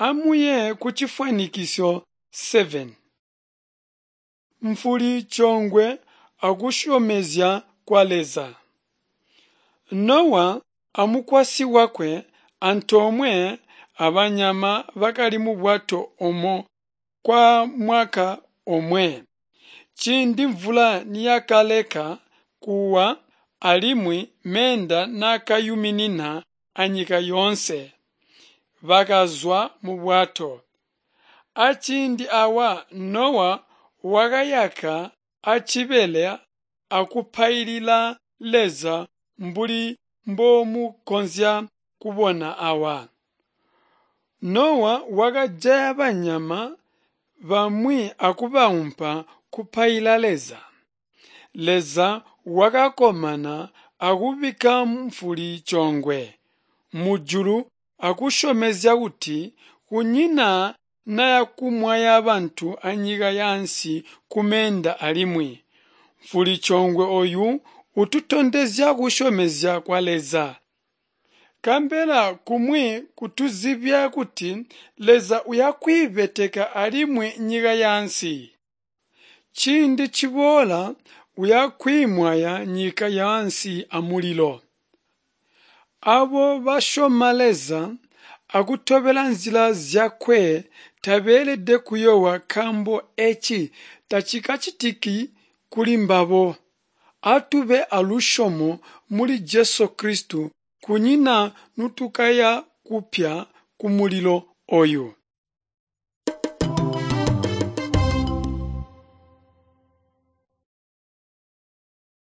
Amuye kucifwanikiso 7. Mfuli coongwe akusyomezya kwa Leza. Nowa amukwasyi wakwe antoomwe abanyama bakali mubwato omo kwa mwaka omwe. Ciindi mvula niyakaleka kuwa alimwi meenda naakayuminina anyika yoonse, bakazwa mubwato. Aciindi awa Nowa wakayaka acibele akupailila Leza mbuli mbomukonzya kubona awa. Nowa wakajaya banyama bamwi akubaumpa kupaila Leza. Leza wakakkomana akubikka mfuli coongwe mujulu akusyomezya kuti kunyina nayakumwaya bantu anyika yaansi kumeenda alimwi. Mfuli coongwe oyu ututondezya kusyomezya kwa Leza. Kambela kumwi kutuzibya kuti Leza uyakwiibeteka alimwi nyika yaansi. Ciindi ciboola uyakwiimwaya nyika yaansi amulilo. Abo basyoma Leza akutobela nzila zyakwe tabeelede kuyoowa nkaambo eci tacikacitiki kuli mbabo. Atube alusyomo muli Jesu Kristo kunyina nutukaya kupya kumulilo oyu.